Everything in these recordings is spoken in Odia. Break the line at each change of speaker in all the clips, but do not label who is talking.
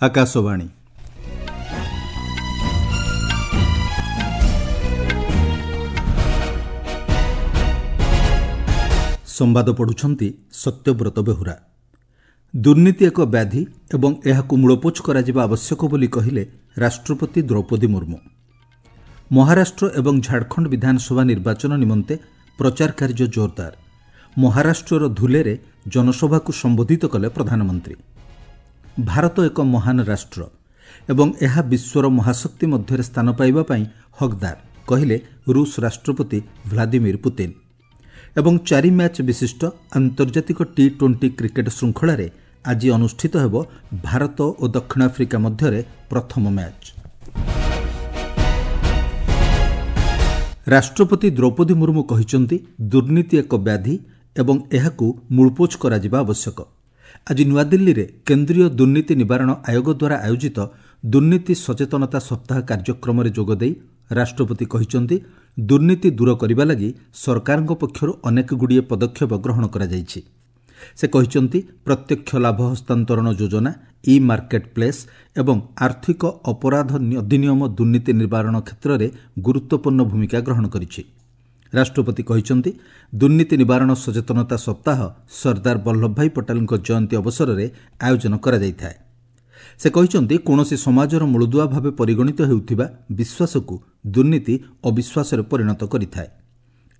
ଆକାଶବାଣୀ। ସମ୍ବାଦ ପଢ଼ୁଛନ୍ତି ସତ୍ୟବ୍ରତ ବେହୁରା। ଦୁର୍ନୀତି ଏକ ବ୍ୟାଧି ଏବଂ ଏହାକୁ ମୂଳପୋଛ କରାଯିବା ଆବଶ୍ୟକ ବୋଲି କହିଲେ ରାଷ୍ଟ୍ରପତି ଦ୍ରୌପଦୀ ମୁର୍ମୁ। ମହାରାଷ୍ଟ୍ର ଏବଂ ଝାଡ଼ଖଣ୍ଡ ବିଧାନସଭା ନିର୍ବାଚନ ନିମନ୍ତେ ପ୍ରଚାର କାର୍ଯ୍ୟ ଜୋରଦାର। ମହାରାଷ୍ଟ୍ରର ଧୁଲେରେ ଜନସଭାକୁ ସମ୍ବୋଧିତ କଲେ ପ୍ରଧାନମନ୍ତ୍ରୀ। ଭାରତ ଏକ ମହାନ ରାଷ୍ଟ୍ର ଏବଂ ଏହା ବିଶ୍ୱର ମହାଶକ୍ତି ମଧ୍ୟରେ ସ୍ଥାନ ପାଇବା ପାଇଁ ହକଦାର, କହିଲେ ରୁଷ ରାଷ୍ଟ୍ରପତି ଭ୍ଲାଦିମିର ପୁତିନ। ଏବଂ 4 ମ୍ୟାଚ୍ ବିଶିଷ୍ଟ ଆନ୍ତର୍ଜାତିକ ଟି-20 କ୍ରିକେଟ୍ ଶୃଙ୍ଖଳାରେ ଆଜି ଅନୁଷ୍ଠିତ ହେବ ଭାରତ ଓ ଦକ୍ଷିଣ ଆଫ୍ରିକା ମଧ୍ୟରେ ପ୍ରଥମ ମ୍ୟାଚ୍। ରାଷ୍ଟ୍ରପତି ଦ୍ରୌପଦୀ ମୁର୍ମୁ କହିଛନ୍ତି, ଦୁର୍ନୀତି ଏକ ବ୍ୟାଧି ଏବଂ ଏହାକୁ ମୂଳପୋଛ କରାଯିବା ଆବଶ୍ୟକ। ଆଜି ନୂଆଦିଲ୍ଲୀରେ କେନ୍ଦ୍ରୀୟ ଦୁର୍ନୀତି ନିବାରଣ ଆୟୋଗ ଦ୍ୱାରା ଆୟୋଜିତ ଦୁର୍ନୀତି ସଚେତନତା ସପ୍ତାହ କାର୍ଯ୍ୟକ୍ରମରେ ଯୋଗଦେଇ ରାଷ୍ଟ୍ରପତି କହିଛନ୍ତି, ଦୁର୍ନୀତି ଦୂର କରିବା ଲାଗି ସରକାରଙ୍କ ପକ୍ଷରୁ ଅନେକଗୁଡ଼ିଏ ପଦକ୍ଷେପ ଗ୍ରହଣ କରାଯାଇଛି। ସେ କହିଛନ୍ତି, ପ୍ରତ୍ୟକ୍ଷ ଲାଭ ହସ୍ତାନ୍ତରଣ ଯୋଜନା, ଇ ମାର୍କେଟ ପ୍ଲେସ୍ ଏବଂ ଆର୍ଥିକ ଅପରାଧ ଅଧିନିୟମ ଦୁର୍ନୀତି ନିବାରଣ କ୍ଷେତ୍ରରେ ଗୁରୁତ୍ୱପୂର୍ଣ୍ଣ ଭୂମିକା ଗ୍ରହଣ କରିଛି। ରାଷ୍ଟ୍ରପତି କହିଛନ୍ତି, ଦୁର୍ନୀତି ନିବାରଣ ସଚେତନତା ସପ୍ତାହ ସର୍ଦ୍ଦାର ବଲ୍ଲଭଭାଇ ପଟେଲଙ୍କ ଜୟନ୍ତୀ ଅବସରରେ ଆୟୋଜନ କରାଯାଇଥାଏ। ସେ କହିଛନ୍ତି, କୌଣସି ସମାଜର ମୂଳଦୁଆ ଭାବେ ପରିଗଣିତ ହେଉଥିବା ବିଶ୍ୱାସକୁ ଦୁର୍ନୀତି ଅବିଶ୍ୱାସରେ ପରିଣତ କରିଥାଏ।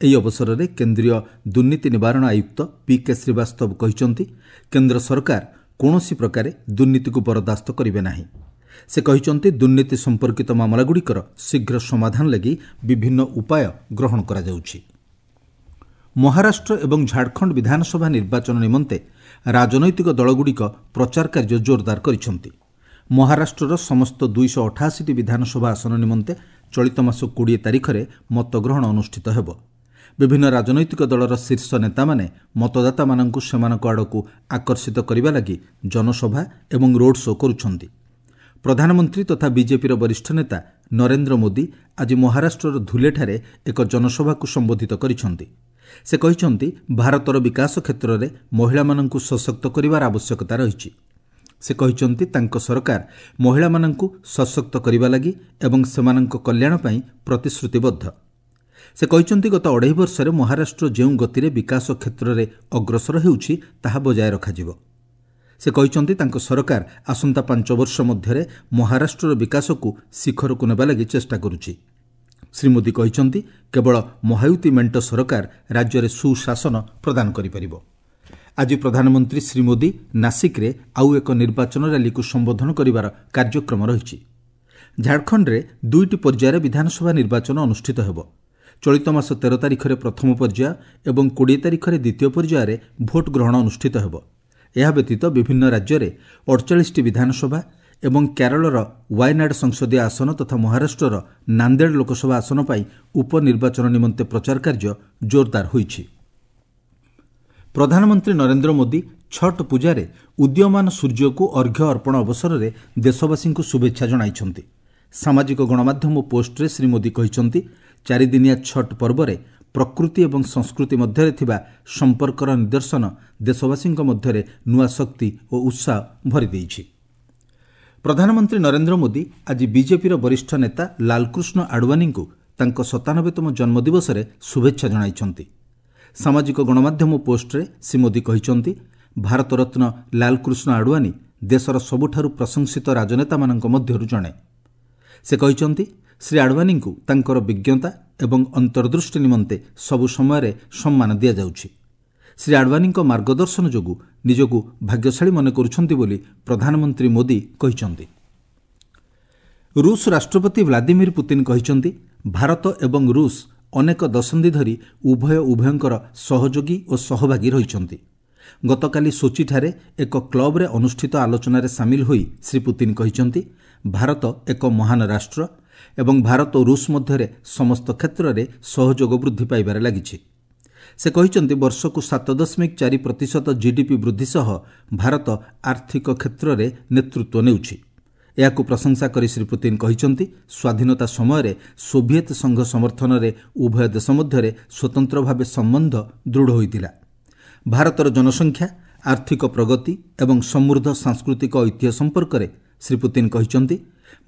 ଏହି ଅବସରରେ କେନ୍ଦ୍ରୀୟ ଦୁର୍ନୀତି ନିବାରଣ ଆୟୁକ୍ତ ପି କେ ଶ୍ରୀବାସ୍ତବ କହିଛନ୍ତି, କେନ୍ଦ୍ର ସରକାର କୌଣସି ପ୍ରକାରେ ଦୁର୍ନୀତିକୁ ବରଦାସ୍ତ କରିବେ ନାହିଁ। ସେ କହିଛନ୍ତି, ଦୁର୍ନୀତି ସମ୍ପର୍କିତ ମାମଲାଗୁଡ଼ିକର ଶୀଘ୍ର ସମାଧାନ ଲାଗି ବିଭିନ୍ନ ଉପାୟ ଗ୍ରହଣ କରାଯାଉଛି। ମହାରାଷ୍ଟ୍ର ଏବଂ ଝାଡ଼ଖଣ୍ଡ ବିଧାନସଭା ନିର୍ବାଚନ ନିମନ୍ତେ ରାଜନୈତିକ ଦଳଗୁଡ଼ିକ ପ୍ରଚାର କାର୍ଯ୍ୟ ଜୋରଦାର କରିଛନ୍ତି। ମହାରାଷ୍ଟ୍ରର ସମସ୍ତ 288ଟି ବିଧାନସଭା ଆସନ ନିମନ୍ତେ ଚଳିତ ମାସ 20 ତାରିଖରେ ମତଗ୍ରହଣ ଅନୁଷ୍ଠିତ ହେବ। ବିଭିନ୍ନ ରାଜନୈତିକ ଦଳର ଶୀର୍ଷ ନେତାମାନେ ମତଦାତାମାନଙ୍କୁ ସେମାନଙ୍କ ଆଡ଼କୁ ଆକର୍ଷିତ କରିବା ଲାଗି ଜନସଭା ଏବଂ ରୋଡ୍ ଶୋ କରୁଛନ୍ତି। ପ୍ରଧାନମନ୍ତ୍ରୀ ତଥା ବିଜେପିର ବରିଷ୍ଠ ନେତା ନରେନ୍ଦ୍ର ମୋଦି ଆଜି ମହାରାଷ୍ଟ୍ରର ଧୁଲେଠାରେ ଏକ ଜନସଭାକୁ ସମ୍ବୋଧିତ କରିଛନ୍ତି। ସେ କହିଛନ୍ତି, ଭାରତର ବିକାଶ କ୍ଷେତ୍ରରେ ମହିଳାମାନଙ୍କୁ ସଶକ୍ତ କରିବାର ଆବଶ୍ୟକତା ରହିଛି। ସେ କହିଛନ୍ତି, ତାଙ୍କ ସରକାର ମହିଳାମାନଙ୍କୁ ସଶକ୍ତ କରିବା ଲାଗି ଏବଂ ସେମାନଙ୍କ କଲ୍ୟାଣ ପାଇଁ ପ୍ରତିଶ୍ରୁତିବଦ୍ଧ। ସେ କହିଛନ୍ତି, ଗତ 2.5 ବର୍ଷରେ ମହାରାଷ୍ଟ୍ର ଯେଉଁ ଗତିରେ ବିକାଶ କ୍ଷେତ୍ରରେ ଅଗ୍ରସର ହେଉଛି ତାହା ବଜାୟ ରଖାଯିବ। ସେ କହିଛନ୍ତି, ତାଙ୍କ ସରକାର ଆସନ୍ତା 5 ବର୍ଷ ମଧ୍ୟରେ ମହାରାଷ୍ଟ୍ରର ବିକାଶକୁ ଶିଖରକୁ ନେବା ଲାଗି ଚେଷ୍ଟା କରୁଛି। ଶ୍ରୀ ମୋଦି କହିଛନ୍ତି, କେବଳ ମହାୟୁତି ମେଣ୍ଟ ସରକାର ରାଜ୍ୟରେ ସୁଶାସନ ପ୍ରଦାନ କରିପାରିବ। ଆଜି ପ୍ରଧାନମନ୍ତ୍ରୀ ଶ୍ରୀ ମୋଦି ନାସିକ୍ରେ ଆଉ ଏକ ନିର୍ବାଚନ ର୍ୟାଲିକୁ ସମ୍ବୋଧନ କରିବାର କାର୍ଯ୍ୟକ୍ରମ ରହିଛି। ଝାଡ଼ଖଣ୍ଡରେ 2ଟି ପର୍ଯ୍ୟାୟରେ ବିଧାନସଭା ନିର୍ବାଚନ ଅନୁଷ୍ଠିତ ହେବ। ଚଳିତ ମାସ 13 ତାରିଖରେ ପ୍ରଥମ ପର୍ଯ୍ୟାୟ ଏବଂ 20 ତାରିଖରେ ଦ୍ୱିତୀୟ ପର୍ଯ୍ୟାୟରେ ଭୋଟ୍ ଗ୍ରହଣ ଅନୁଷ୍ଠିତ ହେବ। ଏହା ବ୍ୟତୀତ ବିଭିନ୍ନ ରାଜ୍ୟରେ 48ଟି ବିଧାନସଭା ଏବଂ କେରଳର ୱାୟନାଡ୍ ସଂସଦୀୟ ଆସନ ତଥା ମହାରାଷ୍ଟ୍ରର ନାନ୍ଦେଡ଼ ଲୋକସଭା ଆସନ ପାଇଁ ଉପନିର୍ବାଚନ ନିମନ୍ତେ ପ୍ରଚାର କାର୍ଯ୍ୟ ଜୋରଦାର ହୋଇଛି। ପ୍ରଧାନମନ୍ତ୍ରୀ ନରେନ୍ଦ୍ର ମୋଦି ଛଟ୍ ପୂଜାରେ ଉଦୀୟମାନ ସୂର୍ଯ୍ୟକୁ ଅର୍ଘ୍ୟ ଅର୍ପଣ ଅବସରରେ ଦେଶବାସୀଙ୍କୁ ଶୁଭେଚ୍ଛା ଜଣାଇଛନ୍ତି। ସାମାଜିକ ଗଣମାଧ୍ୟମ ପୋଷ୍ଟରେ ଶ୍ରୀ ମୋଦି କହିଛନ୍ତି, 4 ଦିନିଆ ଛଟ୍ ପର୍ବରେ ପ୍ରକୃତି ଏବଂ ସଂସ୍କୃତି ମଧ୍ୟରେ ଥିବା ସମ୍ପର୍କର ନିଦର୍ଶନ ଦେଶବାସୀଙ୍କ ମଧ୍ୟରେ ନୂଆ ଶକ୍ତି ଓ ଉତ୍ସାହ ଭରିଦେଇଛି। ପ୍ରଧାନମନ୍ତ୍ରୀ ନରେନ୍ଦ୍ର ମୋଦି ଆଜି ବିଜେପିର ବରିଷ୍ଠ ନେତା ଲାଲକୃଷ୍ଣ ଆଡୱାନୀଙ୍କୁ ତାଙ୍କ 97ତମ ଜନ୍ମଦିବସରେ ଶୁଭେଚ୍ଛା ଜଣାଇଛନ୍ତି। ସାମାଜିକ ଗଣମାଧ୍ୟମ ପୋଷ୍ଟରେ ଶ୍ରୀ ମୋଦି କହିଛନ୍ତି, ଭାରତରତ୍ନ ଲାଲକୃଷ୍ଣ ଆଡୱାନୀ ଦେଶର ସବୁଠାରୁ ପ୍ରଶଂସିତ ରାଜନେତାମାନଙ୍କ ମଧ୍ୟରୁ ଜଣେ। ସେ କହିଛନ୍ତି, ଶ୍ରୀ ଆଡୱାନୀଙ୍କୁ ତାଙ୍କର ବିଜ୍ଞତା ଏବଂ ଅନ୍ତର୍ଦୃଷ୍ଟି ନିମନ୍ତେ ସବୁ ସମୟରେ ସମ୍ମାନ ଦିଆଯାଉଛି। ଶ୍ରୀ ଆଡୱାନୀଙ୍କ ମାର୍ଗଦର୍ଶନ ଯୋଗୁଁ ନିଜକୁ ଭାଗ୍ୟଶାଳୀ ମନେ କରୁଛନ୍ତି ବୋଲି ପ୍ରଧାନମନ୍ତ୍ରୀ ମୋଦି କହିଛନ୍ତି। ରୁଷ ରାଷ୍ଟ୍ରପତି ଭ୍ଲାଦିମିର ପୁତିନ କହିଛନ୍ତି, ଭାରତ ଏବଂ ରୁଷ ଅନେକ ଦଶନ୍ଧି ଧରି ଉଭୟ ଉଭୟଙ୍କର ସହଯୋଗୀ ଓ ସହଭାଗୀ ରହିଛନ୍ତି। ଗତକାଲି ସୋଚିଠାରେ ଏକ କ୍ଲବରେ ଅନୁଷ୍ଠିତ ଆଲୋଚନାରେ ସାମିଲ ହୋଇ ଶ୍ରୀ ପୁତିନ କହିଛନ୍ତି, ଭାରତ ଏକ ମହାନ ରାଷ୍ଟ୍ର ଏବଂ ଭାରତ ଓ ରୁଷ ମଧ୍ୟରେ ସମସ୍ତ କ୍ଷେତ୍ରରେ ସହଯୋଗ ବୃଦ୍ଧି ପାଇବାରେ ଲାଗିଛି। ସେ କହିଛନ୍ତି, ବର୍ଷକୁ 7.4% ଜିଡିପି ବୃଦ୍ଧି ସହ ଭାରତ ଆର୍ଥିକ କ୍ଷେତ୍ରରେ ନେତୃତ୍ୱ ନେଉଛି। ଏହାକୁ ପ୍ରଶଂସା କରି ଶ୍ରୀ ପୁତିନ କହିଛନ୍ତି, ସ୍ୱାଧୀନତା ସମୟରେ ସୋଭିଏତ ସଂଘ ସମର୍ଥନରେ ଉଭୟ ଦେଶ ମଧ୍ୟରେ ସ୍ୱତନ୍ତ୍ର ଭାବେ ସମ୍ବନ୍ଧ ଦୃଢ଼ ହୋଇଥିଲା। ଭାରତର ଜନସଂଖ୍ୟା, ଆର୍ଥିକ ପ୍ରଗତି ଏବଂ ସମୃଦ୍ଧ ସାଂସ୍କୃତିକ ଐତିହ୍ୟ ସମ୍ପର୍କରେ ଶ୍ରୀ ପୁତିନ୍ କହିଛନ୍ତି,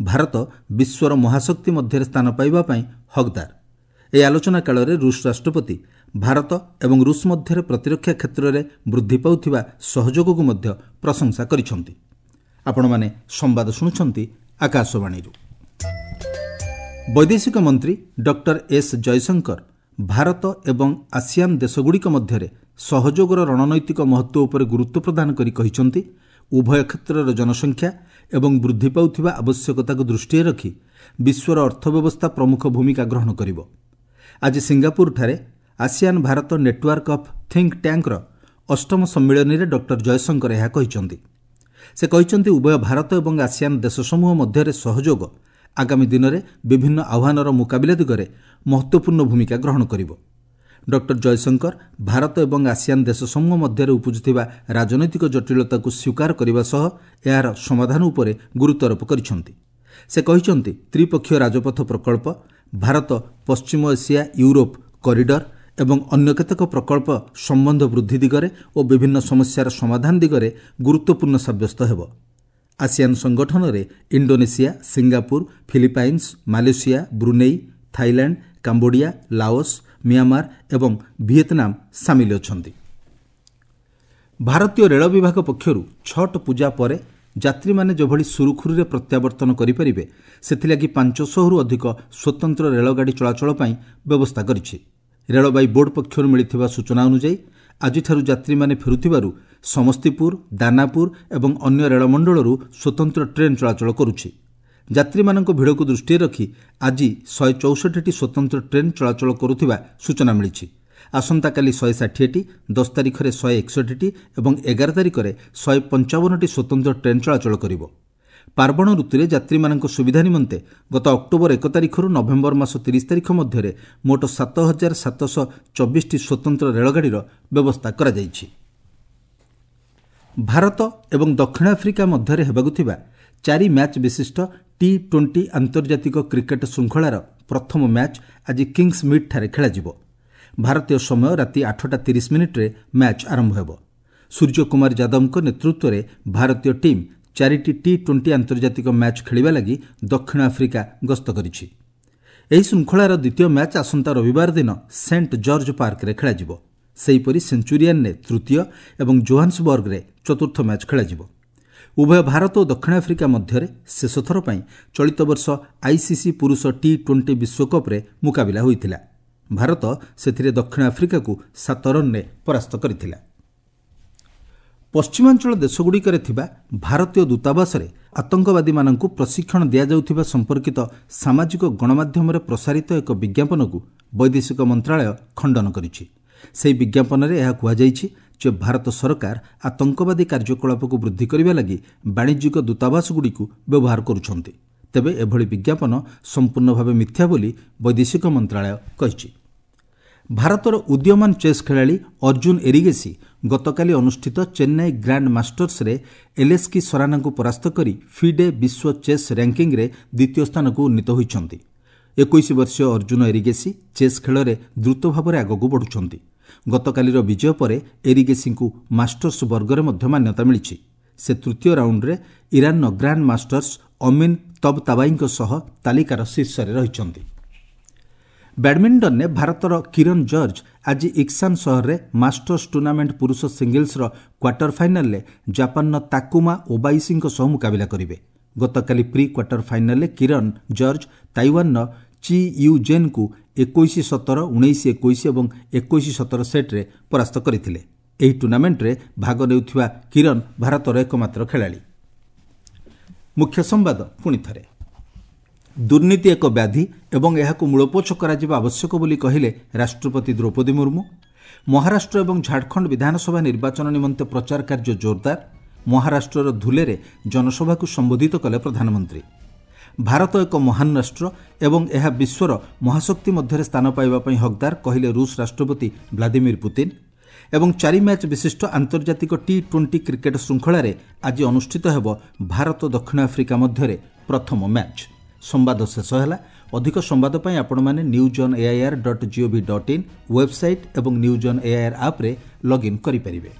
ଭାରତ ବିଶ୍ୱର ମହାଶକ୍ତି ମଧ୍ୟରେ ସ୍ଥାନ ପାଇବା ପାଇଁ ହକ୍ଦାର। ଏହି ଆଲୋଚନା କାଳରେ ରୁଷ ରାଷ୍ଟ୍ରପତି ଭାରତ ଏବଂ ରୁଷ ମଧ୍ୟରେ ପ୍ରତିରକ୍ଷା କ୍ଷେତ୍ରରେ ବୃଦ୍ଧି ପାଉଥିବା ସହଯୋଗକୁ ମଧ୍ୟ ପ୍ରଶଂସା କରିଛନ୍ତି। ଆପଣମାନେ ସମ୍ବାଦ ଶୁଣୁଛନ୍ତି ଆକାଶବାଣୀରୁ। ବୈଦେଶିକ ମନ୍ତ୍ରୀ ଡକ୍ଟର ଏସ୍ ଜୟଶଙ୍କର ଭାରତ ଏବଂ ଆସିଆନ୍ ଦେଶଗୁଡ଼ିକ ମଧ୍ୟରେ ସହଯୋଗର ରଣନୈତିକ ମହତ୍ତ୍ୱ ଉପରେ ଗୁରୁତ୍ୱ ପ୍ରଦାନ କରି କହିଛନ୍ତି, ଉଭୟ କ୍ଷେତ୍ରର ଜନସଂଖ୍ୟା ଏବଂ ବୃଦ୍ଧି ପାଉଥିବା ଆବଶ୍ୟକତାକୁ ଦୃଷ୍ଟିରେ ରଖି ବିଶ୍ୱର ଅର୍ଥବ୍ୟବସ୍ଥା ପ୍ରମୁଖ ଭୂମିକା ଗ୍ରହଣ କରିବ। ଆଜି ସିଙ୍ଗାପୁରଠାରେ ASEAN Bharat network of think tanker ଅଷ୍ଟମ ସମ୍ମିଳନୀରେ ଡକ୍ଟର ଜୟଶଙ୍କର ଏହା କହିଛନ୍ତି। ସେ କହିଛନ୍ତି, ଉଭୟ ଭାରତ ଏବଂ ଆସିଆନ୍ ଦେଶସମୂହ ମଧ୍ୟରେ ସହଯୋଗ ଆଗାମୀ ଦିନରେ ବିଭିନ୍ନ ଆହ୍ୱାନର ମୁକାବିଲା ଦିଗରେ ମହତ୍ତ୍ୱପୂର୍ଣ୍ଣ ଭୂମିକା ଗ୍ରହଣ କରିବ। ଡକ୍ଟର ଜୟଶଙ୍କର ଭାରତ ଏବଂ ଆସିଆନ୍ ଦେଶସମୂହ ମଧ୍ୟରେ ଉପୁଜୁଥିବା ରାଜନୈତିକ ଜଟିଳତାକୁ ସ୍ୱୀକାର କରିବା ସହ ଏହାର ସମାଧାନ ଉପରେ ଗୁରୁତ୍ୱାରୋପ କରିଛନ୍ତି। ସେ କହିଛନ୍ତି, ତ୍ରିପକ୍ଷୀୟ ରାଜପଥ ପ୍ରକଳ୍ପ, ଭାରତ ପଶ୍ଚିମ ଏସିଆ ୟୁରୋପ କରିଡର ଏବଂ ଅନ୍ୟ କେତେକ ପ୍ରକଳ୍ପ ସମ୍ବନ୍ଧ ବୃଦ୍ଧି ଦିଗରେ ଓ ବିଭିନ୍ନ ସମସ୍ୟାର ସମାଧାନ ଦିଗରେ ଗୁରୁତ୍ୱପୂର୍ଣ୍ଣ ସାବ୍ୟସ୍ତ ହେବ। ଆସିଆନ୍ ସଂଗଠନରେ Indonesia, Singapore, Philippines, Malaysia, Brunei, Thailand, Cambodia, Laos, Myanmar ଏବଂ ଭିଏତନାମ ସାମିଲ ଅଛନ୍ତି। ଭାରତୀୟ ରେଳ ବିଭାଗ ପକ୍ଷରୁ ଛଟ୍ ପୂଜା ପରେ ଯାତ୍ରୀମାନେ ଯେଭଳି ସୁରୁଖୁରୁରେ ପ୍ରତ୍ୟାବର୍ତ୍ତନ କରିପାରିବେ ସେଥିଲାଗି 500ରୁ ଅଧିକ ସ୍ୱତନ୍ତ୍ର ରେଳଗାଡ଼ି ଚଳାଚଳ ପାଇଁ ବ୍ୟବସ୍ଥା କରିଛି। ରେଳବାଇ ବୋର୍ଡ ପକ୍ଷରୁ ମିଳିଥିବା ସୂଚନା ଅନୁଯାୟୀ ଆଜିଠାରୁ ଯାତ୍ରୀମାନେ ଫେରୁଥିବାରୁ ସମସ୍ତିପୁର, ଦାନାପୁର ଏବଂ ଅନ୍ୟ ରେଳମଣ୍ଡଳରୁ ସ୍ୱତନ୍ତ୍ର ଟ୍ରେନ୍ ଚଳାଚଳ କରୁଛି। ଯାତ୍ରୀମାନଙ୍କ ଭିଡ଼କୁ ଦୃଷ୍ଟିରେ ରଖି ଆଜି 164ଟି ସ୍ୱତନ୍ତ୍ର ଟ୍ରେନ୍ ଚଳାଚଳ କରୁଥିବା ସୂଚନା ମିଳିଛି। ଆସନ୍ତାକାଲି 160ଟି, 10 ତାରିଖରେ 161ଟି ଏବଂ 11 ତାରିଖରେ 155ଟି ସ୍ୱତନ୍ତ୍ର ଟ୍ରେନ୍ ଚଳାଚଳ କରିବ। ପାର୍ବଣ ଋତୁରେ ଯାତ୍ରୀମାନଙ୍କ ସୁବିଧା ନିମନ୍ତେ ଗତ ଅକ୍ଟୋବର 1 ତାରିଖରୁ ନଭେମ୍ବର ମାସ 30 ତାରିଖ ମଧ୍ୟରେ ମୋଟ 7724ଟି ସ୍ୱତନ୍ତ୍ର ରେଳଗାଡ଼ିର ବ୍ୟବସ୍ଥା କରାଯାଇଛି। ଭାରତ ଏବଂ ଦକ୍ଷିଣ ଆଫ୍ରିକା ମଧ୍ୟରେ ହେବାକୁ ଥିବା 4 ମ୍ୟାଚ୍ ବିଶିଷ୍ଟ ଟି-20 ଆନ୍ତର୍ଜାତିକ କ୍ରିକେଟ୍ ଶୃଙ୍ଖଳାର ପ୍ରଥମ ମ୍ୟାଚ୍ ଆଜି କିଙ୍ଗସ୍ ମିଡ୍ଠାରେ ଖେଳାଯିବ। ଭାରତୀୟ ସମୟ ରାତି 8:30 ମ୍ୟାଚ୍ ଆରମ୍ଭ ହେବ। ସୂର୍ଯ୍ୟକୁମାର ଯାଦବଙ୍କ ନେତୃତ୍ୱରେ ଭାରତୀୟ ଟିମ୍ 4ଟି ଟି-20 ଆନ୍ତର୍ଜାତିକ ମ୍ୟାଚ୍ ଖେଳିବା ଲାଗି ଦକ୍ଷିଣ ଆଫ୍ରିକା ଗସ୍ତ କରିଛି। ଏହି ଶୃଙ୍ଖଳାର ଦ୍ୱିତୀୟ ମ୍ୟାଚ୍ ଆସନ୍ତା ରବିବାର ଦିନ ସେଣ୍ଟ ଜର୍ଜ ପାର୍କରେ ଖେଳାଯିବ। ସେହିପରି ସେଞ୍ଚୁରିଆନ୍ରେ ତୃତୀୟ ଏବଂ ଜୋହାନ୍ସବର୍ଗରେ ଚତୁର୍ଥ ମ୍ୟାଚ୍ ଖେଳାଯିବ। ଉଭୟ ଭାରତ ଓ ଦକ୍ଷିଣ ଆଫ୍ରିକା ମଧ୍ୟରେ ଶେଷଥର ପାଇଁ ଚଳିତ ବର୍ଷ ଆଇସିସି ପୁରୁଷ ଟି-20 ବିଶ୍ୱକପ୍ରେ ମୁକାବିଲା ହୋଇଥିଲା। ଭାରତ ସେଥିରେ ଦକ୍ଷିଣ ଆଫ୍ରିକାକୁ 7 ରନ୍ରେ ପରାସ୍ତ କରିଥିଲା। ପଶ୍ଚିମାଞ୍ଚଳ ଦେଶଗୁଡ଼ିକରେ ଥିବା ଭାରତୀୟ ଦୂତାବାସରେ ଆତଙ୍କବାଦୀମାନଙ୍କୁ ପ୍ରଶିକ୍ଷଣ ଦିଆଯାଉଥିବା ସମ୍ପର୍କିତ ସାମାଜିକ ଗଣମାଧ୍ୟମରେ ପ୍ରସାରିତ ଏକ ବିଜ୍ଞାପନକୁ ବୈଦେଶିକ ମନ୍ତ୍ରଣାଳୟ ଖଣ୍ଡନ କରିଛି। ସେହି ବିଜ୍ଞାପନରେ ଏହା କୁହାଯାଇଛି ଯେ ଭାରତ ସରକାର ଆତଙ୍କବାଦୀ କାର୍ଯ୍ୟକଳାପକୁ ବୃଦ୍ଧି କରିବା ଲାଗି ବାଣିଜ୍ୟିକ ଦୂତାବାସଗୁଡ଼ିକୁ ବ୍ୟବହାର କରୁଛନ୍ତି। ତେବେ ଏଭଳି ବିଜ୍ଞାପନ ସମ୍ପୂର୍ଣ୍ଣ ଭାବେ ମିଥ୍ୟା ବୋଲି ବୈଦେଶିକ ମନ୍ତ୍ରଣାଳୟ କହିଛି। ଭାରତର ଉଦୀୟମାନ ଚେସ୍ ଖେଳାଳି ଅର୍ଜୁନ ଏରିଗେସି ଗତକାଲି ଅନୁଷ୍ଠିତ ଚେନ୍ନାଇ ଗ୍ରାଣ୍ଡ ମାଷ୍ଟର୍ସରେ ଏଲେସ୍କି ସରାନାଙ୍କୁ ପରାସ୍ତ କରି ଫିଡେ ବିଶ୍ୱ ଚେସ୍ ର୍ୟାଙ୍କିଙ୍ଗ୍ରେ ଦ୍ୱିତୀୟ ସ୍ଥାନକୁ ଉନ୍ନୀତ ହୋଇଛନ୍ତି। 21 ବର୍ଷୀୟ ଅର୍ଜୁନ ଏରିଗେସି ଚେସ୍ ଖେଳରେ ଦ୍ରୁତ ଭାବରେ ଆଗକୁ ବଢ଼ୁଛନ୍ତି। ଗତକାଲିର ବିଜୟ ପରେ ଏରିଗେସିଙ୍କୁ ମାଷ୍ଟର୍ସ ବର୍ଗରେ ମଧ୍ୟ ମାନ୍ୟତା ମିଳିଛି। ସେ ତୃତୀୟ ରାଉଣ୍ଡରେ ଇରାନର ଗ୍ରାଣ୍ଡ ମାଷ୍ଟର୍ସ ଅମିନ୍ ତବତାବାଇଙ୍କ ସହ ତାଲିକାର ଶୀର୍ଷରେ ରହିଛନ୍ତି। ବ୍ୟାଡ୍ମିଣ୍ଟନରେ ଭାରତର କିରଣ ଜର୍ଜ ଆଜି ଇକ୍ସାନ୍ ସହରରେ ମାଷ୍ଟର୍ସ ଟୁର୍ଣ୍ଣାମେଣ୍ଟ ପୁରୁଷ ସିଙ୍ଗଲ୍ସର କ୍ୱାର୍ଟର ଫାଇନାଲ୍ରେ ଜାପାନର ତାକୁମା ଓବାଇସିଙ୍କ ସହ ମୁକାବିଲା କରିବେ। ଗତକାଲି ପ୍ରି କ୍ୱାର୍ଟର ଫାଇନାଲ୍ରେ କିରଣ ଜର୍ଜ ତାଇୱାନର ଚି you ଜେନ୍ଙ୍କୁ 21-17, 19-21 ଏବଂ 21-17 ସେଟ୍ରେ ପରାସ୍ତ କରିଥିଲେ। ଏହି ଟୁର୍ଣ୍ଣାମେଣ୍ଟରେ ଭାଗ ନେଉଥିବା କିରଣ ଭାରତର ଏକମାତ୍ର ଖେଳାଳି। ମୁଖ୍ୟ ସମ୍ବାଦ ପୁଣି ଥରେ। ଦୁର୍ନୀତି ଏକ ବ୍ୟାଧି ଏବଂ ଏହାକୁ ମୂଳପୋଛ କରାଯିବା ଆବଶ୍ୟକ ବୋଲି କହିଲେ ରାଷ୍ଟ୍ରପତି ଦ୍ରୌପଦୀ ମୁର୍ମୁ। ମହାରାଷ୍ଟ୍ର ଏବଂ ଝାଡ଼ଖଣ୍ଡ ବିଧାନସଭା ନିର୍ବାଚନ ନିମନ୍ତେ ପ୍ରଚାର କାର୍ଯ୍ୟ ଜୋରଦାର। ମହାରାଷ୍ଟ୍ରର ଧୁଲେରେ ଜନସଭାକୁ ସମ୍ବୋଧିତ କଲେ ପ୍ରଧାନମନ୍ତ୍ରୀ। ଭାରତ ଏକ ମହାନ ରାଷ୍ଟ୍ର ଏବଂ ଏହା ବିଶ୍ୱର ମହାଶକ୍ତି ମଧ୍ୟରେ ସ୍ଥାନ ପାଇବା ପାଇଁ ହକଦାର କହିଲେ ରୁଷ ରାଷ୍ଟ୍ରପତି ଭ୍ଲାଦିମିର ପୁତିନ୍। ଏବଂ 4 ମ୍ୟାଚ୍ ବିଶିଷ୍ଟ ଆନ୍ତର୍ଜାତିକ ଟି-20 କ୍ରିକେଟ୍ ଶୃଙ୍ଖଳାରେ ଆଜି ଅନୁଷ୍ଠିତ ହେବ ଭାରତ ଦକ୍ଷିଣ ଆଫ୍ରିକା ମଧ୍ୟରେ ପ୍ରଥମ ମ୍ୟାଚ୍। ସମ୍ବାଦ ଶେଷ ହେଲା। ଅଧିକ ସମ୍ବାଦ ପାଇଁ ଆପଣମାନେ news on AIR dot GOV dot in website ଏବଂ ନ୍ୟୁଜ୍ ଅନ୍ ଏଆଇଆର୍ ଆପ୍ରେ ଲଗ୍ଇନ୍ କରିପାରିବେ।